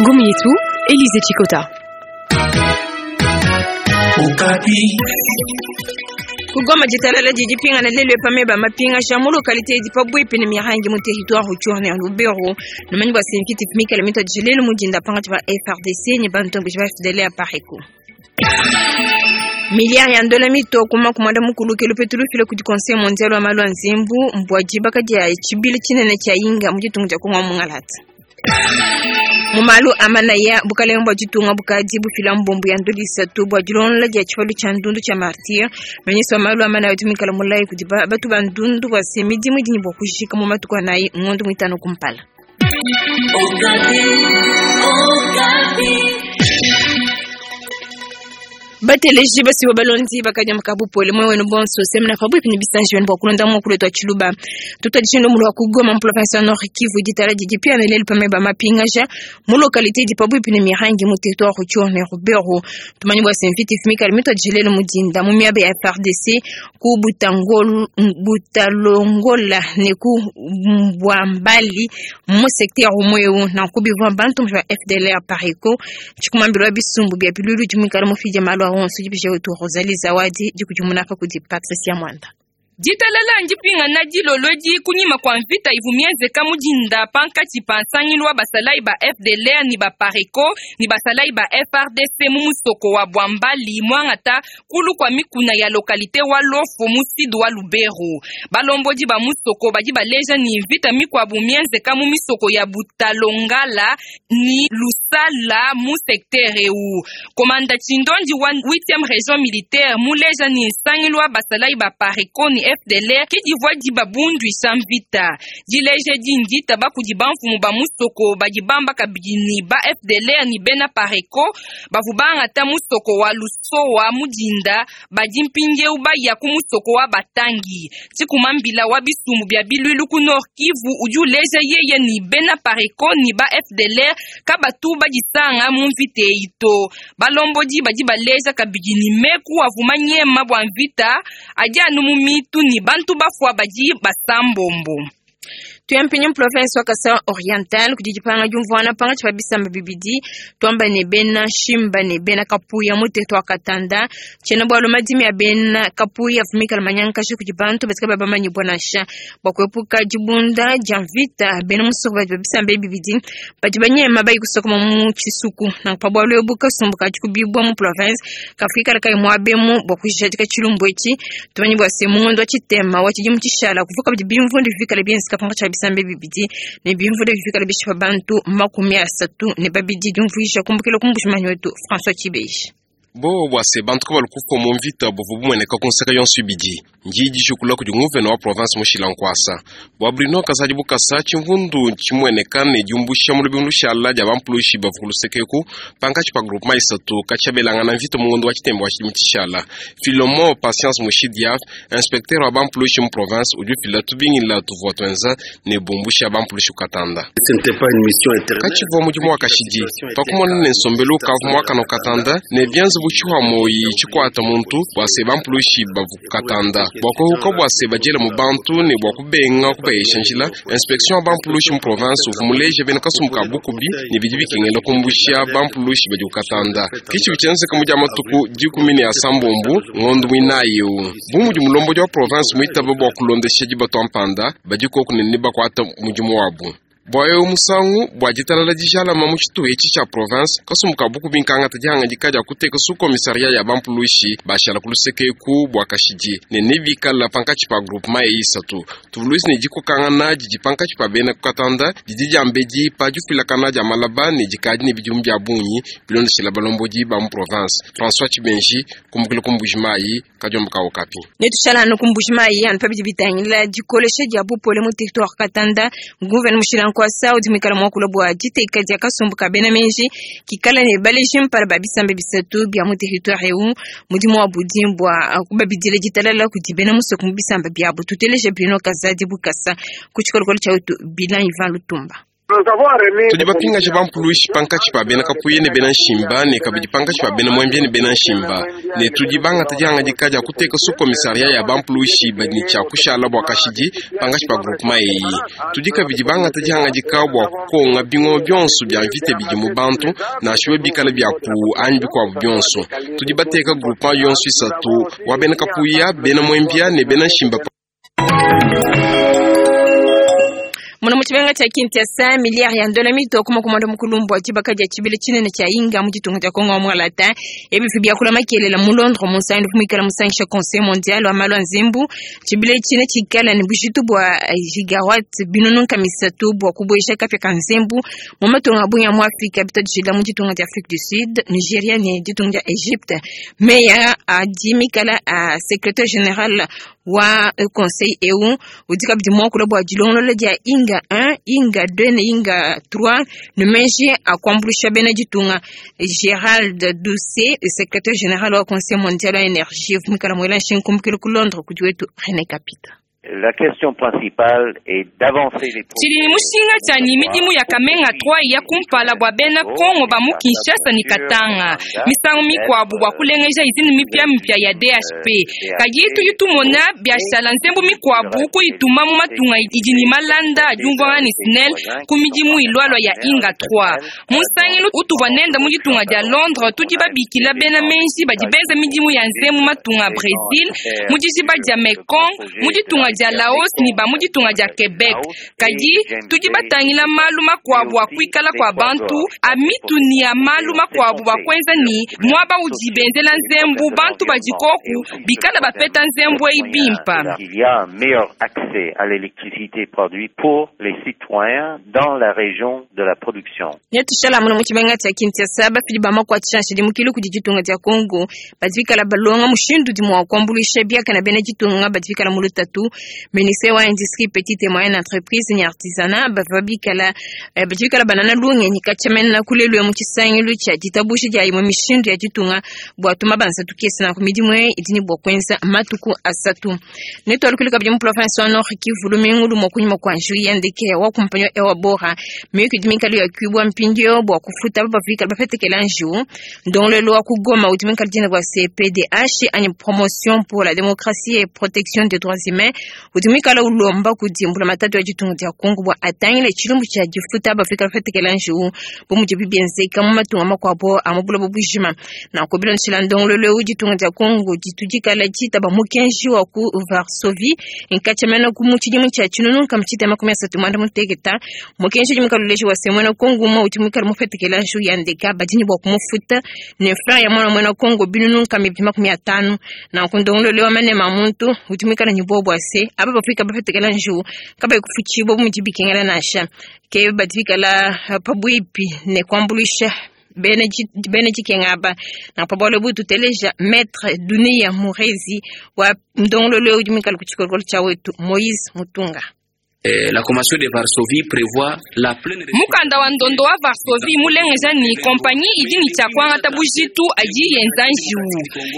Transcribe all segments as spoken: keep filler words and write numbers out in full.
Ngumu yetu, Elise Chikota. Kugoma ditalala didi pingana lelu pameba mapinga mu localité edi pabuipi ne mihangi mu territoire Rutshuru ya Lubero numanyi bua se mvita mikale mituadije lelu mu dinda pangatshi pa F A R D C ne bantomboji ba F D L ya Apareco. Milliard ya ndola mitoko makumi mukulu ke lupetu lufile kudi Conseil mondial wa malu a nzembu mbua dibaka dia tshibili tshinene tshia Inga mu ditunga dia Kongo mungalata. Mu malu a manaya, bukalenge bua ditunga bukadi bufila mbombo ya ndola isatu bua dilongolola dia tshipalu tshia ndundu tshia Martyr. Ministre wa malu a manaya udi muikale mulayi kudi batu ba ndundu bua se midimu idi ne bua kujika mu matuku anayi ngondo muitanu kumpala. Bateleji basiwa balondi bakanyamaka bupole mwe wenu bonso semena pabuipi ne bisanji wenu bua kulonda muakulu wetu wa tshiluba. Tutuadije mulu wa kugoma mu province ya Nord Kivu. Ditala didi pia lelu pameba mapingaja mu localité edi pabuipi ne mihangi mu territoire Rutshuru ne Lubero. Tumanyi bua se mvita mikale mituadije lelu mu dinda mu miaba ya F A R D C ku Butangol Butalongola ne ku Bwambali mu secteur umwe nanku bivua bantu ba F D L R Apareco. Tshikumambilo wa bisumbu bia bilulu dimwikala mufidi malu a onso dibisha wetu Rosalie Zawadi dikudimuna pa kudi Patricia Mwanda. Ditalala ndipingana dilolodi kunyima kwa mvita ivu mienzeka mudinda pankatshi pa nsangilu wa basalayi ba F D L R ni ba Apareco ni basalayi ba F A R D C mu musoko wa Bwambali mwangata kulu kwa mikuna ya localité wa Lofo mu sud wa Lubero. Balombodi ba musoko badi baleja ni mvita mikwabu mienzeka mu misoko ya Butalongala ni Lusala mu secteur eu. Komanda Chindondi wa huitième région militaire muleja ni nsangilu wa basalayi ba Apareco ni F D L R ke divua dibabundwisha mvita. Dileje dindi bakudi bamfumu ba musoko badi bamba kabidi ni ba F D L R ni bena Apareco bavu bangata musoko wa Lusowa mudinda badi mpindieu baya ku musoko wa Batangi. Tshikumambila wa bisumbu bia bilwilu ku Nord Kivu udi uleja yeye ni bena Apareco ni ba F D L R kabatu badisanga mu mvita eyi to. Balombodi badi baleja kabidi ni meku avuma nyema bua mvita adi anu mu mitu ni bantu bafua badi basambombo. Tuyampinya province wa Kasai Oriental kudi dipanga diumvuana pangatshi pa bisamba bibidi, tuamba ne bena Shimba ne bena Kapuya mu territoire Katanda. Tshiena bualu madimi ya bena Kapuya avumikala manyankashi kudi bantu batika babamanyibua nansha. Bua kuepuka dibunda dia mvita, bena musoko badi ba bisamba ebi bibidi badi banyema bayi kusokoma mu tshisuku. Nanku pa bualu ebu, kasumbu kadi kubibua mu province kafuikala kayi muabemu bua kujadika tshilumbu etshi. Tumanyi bua se mu ngondo wa tshitema wa tshidimu tshishala kuvuka bidi bimvundu bivikala bienzeka pangatshi pa bisamba bibidi ne bimvundu bivikala bishipa bantu makumi asatu ne babidi. Diumvuisha kumbukila ku mbujimanyi wetu François Tshibeji. Bo bua se bantu kabalu kufua mu mvita buvu bumueneka ku nseka yonso ibidi ndi dijukula kudi nguvena wa province mushila nkuasa. Bua Bruno Kazadi Bukasa, tshimvundu tshimueneka ne diumbusha mu lubingu lushala dia bampulushi bavu ku luseke eku pankatshi pa groupement isatu katshiabelangana mvita mu ngondo wa tshitemba wa tshidimu tshishala. Filomo Patience Mushidia, inspecteur wa bampulushi mu province, udi ufila tubingila tuvua tuenza ne bumbusha bampulushi kukatanda. Katshivua mudimu wa kashidi pakumona ne nsombelu kavu muakana katanda ne bianza butshiwa moyi tshikwata muntu bua se bampulushi bavu kukatanda bua kuhuka bua se badiela mu bantu ne bua kubenga kubayesha njila. Inspection ya bampulushi mu province uvu muleja bena kasumbu ka bukubi ne bidi bikengela kumbusha bampulushi badi kukatanda. Kitshibi tshienzeka mu dia matuku dikumi ne asambombu ngondo muinayi eu bu mudi mulombodi wa province muitaba bua kulondesha dibatu mpanda badi koku ne ne bakuata mudimu wabu bua eu musangu bua ditalala dijalama mu tshituha etshi tshia province. Kasumbu ka bukubi nkangata dihangadika dia kuteka sous commissariat ya bampulushi bashala ku luseke eku bua kashidi ne nebikala pankatshi pa groupement eyi isatu. Tuvuluisi ne dikokangana didi pankatshi pa bena kukatanda didi diambedi pa difilakana dia malaba ne dikadi ne bidimu bia bungi bilondeshela balombodi ba mu province. François Tshibenji kumbukila ku Mbujimayi, kadiomba ka Okapi. Netushala anu ku Mbujimayi anu pa bidi bitangila dikolesha dia bupole mu territoire Katanda. Nguvena mushila nkuasa udi muikala muakula bua diteka dia kasumbu ka bena menji kikala ne baleji mpala ba bisamba bisatu bia mu territoire eu. Mudimu wa budi bua kubabidila ditalala kudi bena musoko mu bisamba biabu. Tuteleje Bruno Kazadi Bukasa ku tshikolokolo tshia wetu Bilan Ivan Lutumba. Tudi bapingaje bampuluishi pankatshi pa bena Kapuya ne bena Nshimba ne kabidi pankatshi pa bena Mwembia ne bena Nshimba, ne tudi bangata dihangadika dia kuteka sous-commissariat ya bampuluishi badi ne tshia kushala bua kashidi pankatshi pa groupement eyi. Tudi kabidi bangata dihangadika bua kukonga bingoma bionso bia mvita bidi mu bantu, nansha bikala bia ku anyi bikuabu bionso. Tudi bateka groupement yonso isatu wa bena Kapuya, bena Mwembia ne bena Nshimba. Muna muchibenga cha Kinshasa miliyari ya ndola mito kuma kumanda mukulumbu wa chibaka ja chibile chinene cha inga mu chitunga cha Kongo mwalata ebi fibia kula makelela mu Londres mu sandu kumikala musangisha Conseil mondial wa malwa nzimbu chibile chine chikala ni bushitu bwa gigawatt binunu kamisatu bwa kubwesha kapya ka nzimbu mu matunga bunya mu Afrika bitajila mu chitunga cha Afrique du Sud, Nigeria ne chitunga cha Egypte. Meya adimikala a secrétaire général wa conseil E U udika bidimo kula bwa jilongolo ja inga un, inga deux ne inga trois numeje akwambulisha bena jitunga. Gérald Doucet, secrétaire général wa conseil mondial wa énergie vumikala mwela nshinkumkilo ku Londres kujiwetu René Capita. La question principale est d'avancer les Chili mushinga chani midimu ya Kamenga trois ya kumpala bwa bena Kongo ba mu Kinshasa ni Katanga. Misango mikwabu bwa kulengeja izini mipya mipya ya D H P. Kajitu yutumona biashara nzembo mikwabu kuituma mu matunga idini malanda ajumva ni Snell ku midimu ilwalwa ya Inga trois. Musangilu utuvwa nenda mu ditunga dia Londres tudi babikila bena menji badibenza midimu ya nzembo matunga Brazil, mu dijiba dia Mekong, mu ditunga dia Laos ni ba mu ditunga dia Quebec. Kadi tudi batangila malu makwabu akuikala kwa bantu amitu ni ya malu makwabu bakwenza ni mwaba udibenzela nzembu bantu badikoku bikala bapeta nzembu eibimpa. Il y a un meilleur accès à l'électricité produite pour les citoyens dans la région de la production. Netushala muno muchibenga cha Kinshasa bafili bama kwa tshanshi dimukilu kudi ditunga dia Congo badibikala balonga mushindu dimwa kwambulisha biaka na bena ditunga badibikala mulutatu. Ministère wa industrie petite et moyenne entreprise ni artisanat bavabikala badibikala banana lunge nyikachamena kulelwe mu chisangilu cha ditabusha dia imwe mishindu ya ditunga bwa tuma banza tukesa na kumidimwe idini bwa kwenza matuku asatu. Neto alukulika bya mu province wa Nord Kivu lumingu lumo kunyuma kwa njui yandike wa kumpanyo ewa bora miyuki dimikali ya kubwa mpindio bwa kufuta bafika bafetekela nju ndongole lwa kugoma utimikali jina kwa C P D H ani promotion pour la démocratie et protection des droits humains utimikala ulomba kudimbula matatu ya jitungu dia Kongo bwa atangile chilumbu cha jifuta bafika bafetekela nju bomuji bibienzeka mu matunga makwabo amabula bobujima na kobila nshila ndongole lwa jitungu dia Kongo jitujikala jita ba mukenji wa ku Varsovie nkachamena ku muchidimu cha chinunu kamchita makumi asatu mwanda mutegeta mukenji jimikaluleshi wa semwena Kongo ma utimikala mufetekela nju yandeka badini bwa kumufuta ne fra ya mwana mwana Kongo binunu kamibima makumi atano na kundongole lwa mane mamuntu utimikala nyibobwa se aba bafika bafetekela nju kaba kufuchibo mujibikengela nasha ke batikala pabwipi ne kwambulisha bene jikengaba na pabole butu teleja maître Dunia Murezi wa ndongololo ujimikala kuchikolokolo cha wetu Moïse Mutunga. La convention de Varsovie prévoit la pleine mukanda wa ndondo wa Varsovie mulengeja ni kompagnie idini cha kwangata bujitu aji yenza njiwu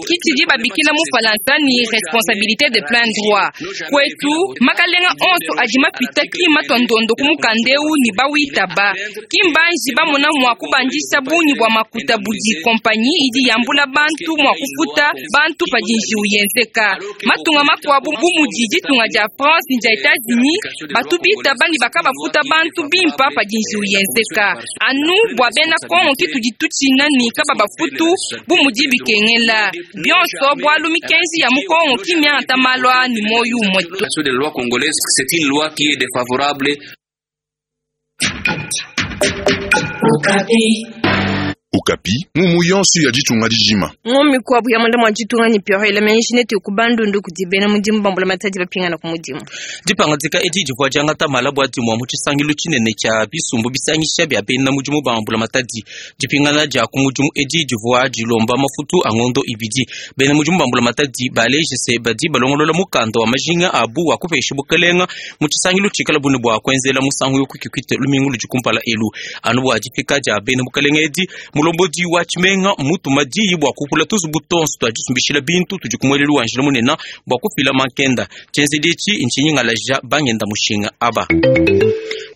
kitidi babikila mu falansa ni responsabilité de plein droit kwetu makalenga onso aji mapita kima twa ndondo ku mukandeu ni bawitaba kimbanji bamona mwa kubandisha bunyi bwa makuta budi kompagnie idi yambula bantu mwa kufuta bantu padi njiwu yenzeka matunga makwabu bumudi ditunga dia France ni dia États-Unis batubita bani bakabafuta bantu bimpa padi njiwu yenzeka anu bwa bena Kongo kitu dituchina ni kaba bafutu bumudi bikengela bionso bwalu mikenji ya mukongo kimya ntamalwa ni moyo mwetu. De loi congolaise, c'est une loi qui est défavorable. Okapi, mumu yonso ya ditunga dijima. Ngomi kwa buya mwanda mwa ditunga ni pyo ile menshi neti kubandundu kudibena mudimu bambula matadi bapingana ku mudimu. Dipangatika edi divwa jangata malabwa dimwa mu tshisangilu tshinene tshia bisumbu bisangisha bia bena mudimu bambula matadi. Dipingana dia ku mudimu edi divwa dilomba mafutu a ngondo ibidi. Bena mudimu bambula matadi baleje badi balongolola mukanda wa majinga abu wa kupesha bukelenga mu tshisangilu tshikala bune bwa kwenzela musangu yokukikwite lumingu ludikumpala elu. Anu bwa difika dia bena bukelenga edi mulombodi wa tshimenga mutuma diyi bwa kupula tuzubu tonso twa disumbishila bintu tudi kumwelelu wa njila munene bwa kufila mankenda. Tshienzedi etshi ntshinyingalaja bangenda mushinga aba.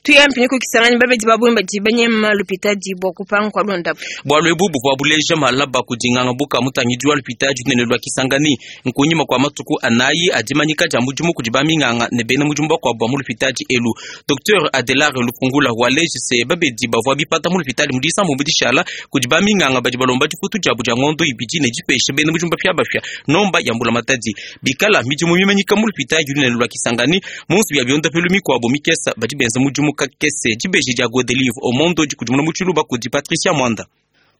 Tuyampi kukisangani babedi babumba dibanyema lupitadi bwa kupanga kwa londa. Bwalu ebu buvua buleja malaba kudinganga buka mutangidi wa lupitadi nene lwa Kisangani nkunyima kwa matuku anayi adimanyika dia mudimu kudi baminganga ne bena mudimu bakuabu ba mu lupitadi elu. Docteur Adelard Lufungula waleji se babedi bavua bipata mu lupitadi mu disambu dishala kudi baminganga badi balomba difutu diabu dia ngondo ibidi ne dipesha bena mudimu bapia bapia nomba ya mbula matadi bikala midimu mimanyika mu lupitadi nene lwa Kisangani munsu ya biondapelu mikuabu mikesa badi benza mudimu kakese dibeji dia Godelive Omondo dikudimuna mu tshiluba kudi Patricia Mwanda.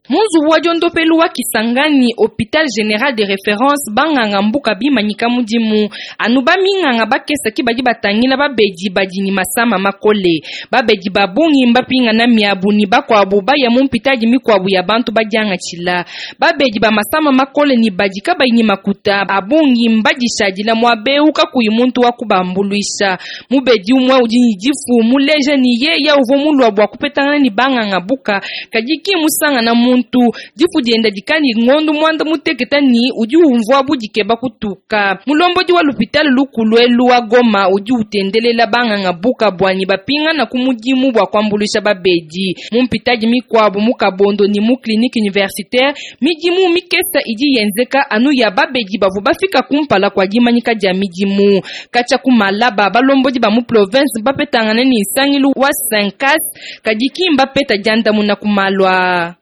Munzubu wa diondopelu wa Kisangani, hôpital général de référence, banganga mbuka bimanyika mudimu. Anu baminganga bakesa ki badi batangila babedi badi ni masama makole. Babedi babungi mbapinga na miabu ni bakwabu baya mu mpitadi mikwabu ya bantu badianga chila. Babedi ba masama makole ni badi kabayi ni makuta. Abungi mbadishadila mwabeu kakuyi muntu wa kubambuluisha. Mubedi umwe udi ni difu muleja ni yeya uvo mulwa bwa kupetangana ni banganga buka. Kadiki musanga na muntu difu dienda dikani ngondo mwanda muteketa ni udi umvua budikeba kutuka. Mulombodi wa lupitali lukulwelu wa Goma udi utendelela banganga buka bwani bapinga na kumudimu bwa kwambulisha babedi. Mumpitaji mikwabu mukabondo ni mu clinique universitaire midimu mikesa idi yenzeka anu ya babedi bavu bafika kumpala kwa dimanyika dia midimu. Kacha kumalaba balombodi ba mu province bapetangana ni nsangilu wa Sankas kadiki mbapeta diandamuna na kumalwa.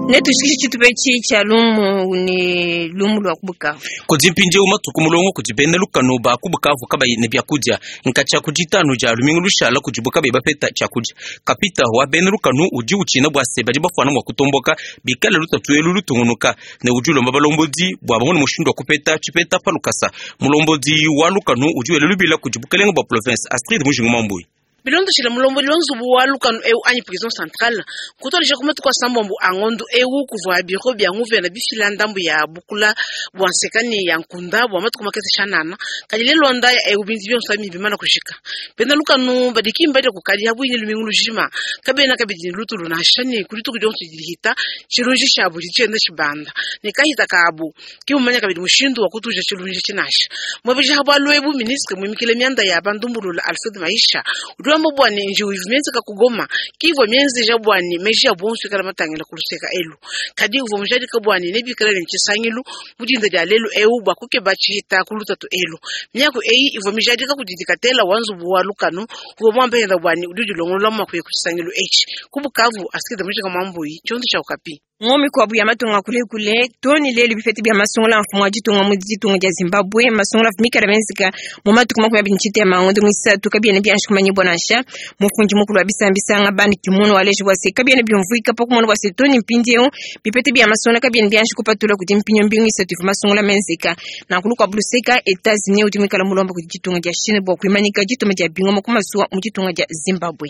Netu shikishi chitupechi cha lumu ni lumu lwa kubukavu. Kudi mpindieu matuku mulongo kudi bena lukanu ba kubukavu kabayi ne byakudia nkacha kuditanu dia lumingu lushala kudibu kabayi bapeta tshiakudia. Kapita wa bena lukanu udi utshina bua se badi bafuana mua kutomboka bikala lutatu elu lutungunuka ne udi ulomba balombodi bua bamone mushindu wa kupeta tshipeta pa lukasa. Mulombodi wa lukanu udi wela lubila kudi bukalenga bua province Astrid Mujingu Mambui. Bilondoshile mulombodi wa nzubu wa lukanu eu anyi prison centrale kutolesha kumatuku asambombo angondo eu kuvua biro bya nguvena bifila ndambu ya bukula bua nsekani ya nkunda bua matuku makese shanana kadi lelonda ya eu bintu bionso abi bimana kushika bena lukanu badikimba dia kukadi habuine lumingu lujima kabena kabidi lutulu na shani kulituku dionso dihita chilunji shabu ditshienda tshibanda ne kahita kabu kimumanya kabidi mushindu wa kutuja chilunji tshinasha mwebeja habwalu ebu ministre mwimikile mianda ya bandumbulula Alfred Maisha udi wamba bwani njiwu ivu kugoma kivo mienzi ja bwani meji ya bonsu ikala matangila kuluseka elu kadi uvo mujadika bwani nebikala ne nchisangilu mudinda dia lelu eu bwa kukeba tshihita kulutatu elu miaku eyi ivo mijadika kudidikatela wanzubu wa lukanu uvo mwambehenda bwani udi udilongolola mwakuye kuchisangilu echi kubukavu asikida mujika mwambuyi chiondo cha Okapi. Ngomi kwa buya matunga kule kule toni lelu bifeti bya masungula mfumo wa ditunga mu ditunga dia Zimbabwe masungula fumika benzika mu matuku makumi abiri nchite ya mangondo mwisatu kabiene byanshi kumanye bonasha mufunji mukulu wa bisambisanga bani kimono waleji wase kabiene byumvuika pa kumona wase toni mpindieu bipete bya masungula kabiene byanshi kupatula kuti mpinyo mbingu isatu ifu masungula menzika na nkulu kwa buluseka Etats-Unis utimikala mulomba kuti ditunga dia Chine bwa kuimanika dituma dia bingoma kumasuwa mu ditunga dia Zimbabwe.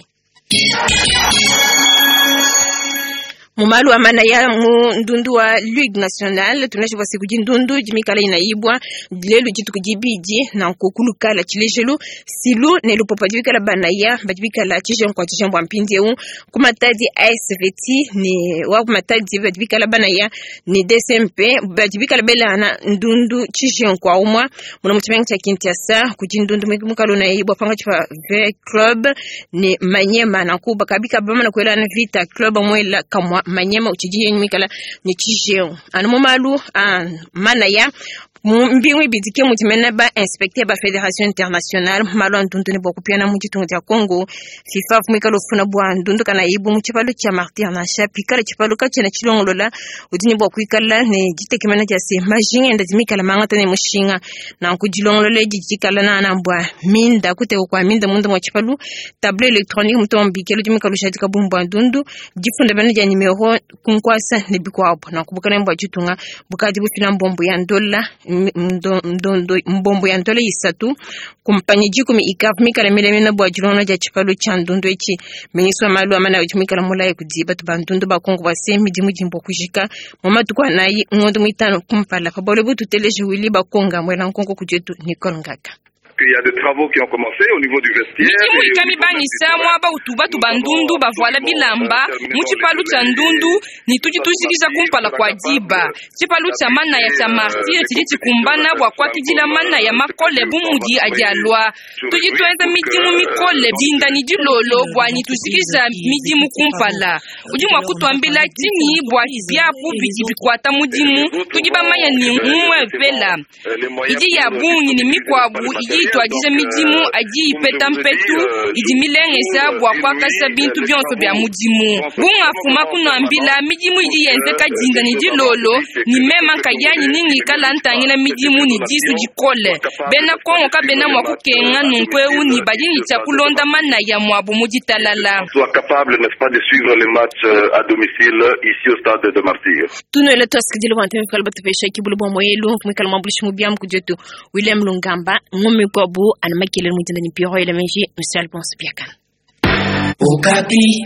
Mumalu amana ya mu ndundu wa Ligue Nationale tunashi wasi kuji ndundu jimikala inaibwa lelu jitu kujibiji na nkukulukala chilejelu silu ne lupopa jibikala banaya bajibikala chijen kwa chijen bwa mpindieu kumatadi A S V T ni wa kumatadi bajibikala banaya ni D C M P bajibikala bela na ndundu chijen kwa umwa muna muchimengi cha Kinshasa kuji ndundu mukalo naibwa panga chipa V Club ni Manyema na kuba kabika bama na kuela na Vita Club mwela kamwa Manyema uchiji yenyu mikala ni chijeo anu mumalu an mana ya mbingu ibidike mutimena ba inspecteur ba fédération internationale malu andundu ne bokupia mu ditunga dia Congo FIFA fumikala ofuna bwa ndundu kana ibu mu tshipalo tsha martyr na shapikala tshipalo ka tshena tshilongolola udi ne bwa kuikala ne ditekemena dia se majinga enda dimikala mangata ne mushinga na nkudilongolola edi dikala na na mbwa minda kuteko kwa minda munda mwa tshipalo tableau électronique mutombikelo dimikala ushadika bumbwa ndundu difunda bana dia numero kunkwasa ne bikwabo na kubukana mbwa ditunga bukadi bufila mbombo ya ndola mdondo mbombo ya ndola isatu kumpanyi jikumi ikavu mikala milemena bwa dilona dia tshipalo tsha ndundu echi miniswa malu amana udi mikala mulaye kudi batu ba ndundu ba Kongo base midimu dimbo kujika mu matuku anayi ngondo mwitano kumpala pa bole bututeleje wili bakonga mwela nkonko kudietu Nicole Ngaka. qu'il y a des travaux qui ont commencé au niveau du vestiaire. Midimu ikamibanisa mwaba utuba tubandundu bavuala bilamba mu tshipalu tshia ndundu ni tudi tujikija kumpala kua diba. Tshipalu tshia manaya tshia martire tshidi tshikumbana bua kuakidila manaya makole bu mudi adi alua. Tudi tuenza midimu mikole dinda ni dilolo bua ni tujikija midimu kumpala. Udi mua kutuambila tshinyi bua biapu bidi bikuata mudimu tudi bamanya ni umue vela idi ya bungi ni mikuabu idi ituadija midimu adi ipeta mpetu idi milengesha bua kuakasha bintu bionso bia mudimu. Bungafuma kunuambila midimu idi yenzeka dinda ni dilolo ni mema nkayanyi ningikala ntangila midimu ni disu dikole. Bena Kongo kabena mua kukenga nunku eu ni badi ni tshia kulonda manaya muabu mu ditalala. Soit capable, n'est-ce pas, de suivre les matchs à domicile ici au stade de Martyrs. Tunoela twasikidile bua nteme batupesha kibulu bua moyelu mwikala mwambulishi mubiamu kudietu William Lungamba ngome kwabu anamakele mutenda ni piro elemenji Monsieur Alphonse Biakana. Okapi.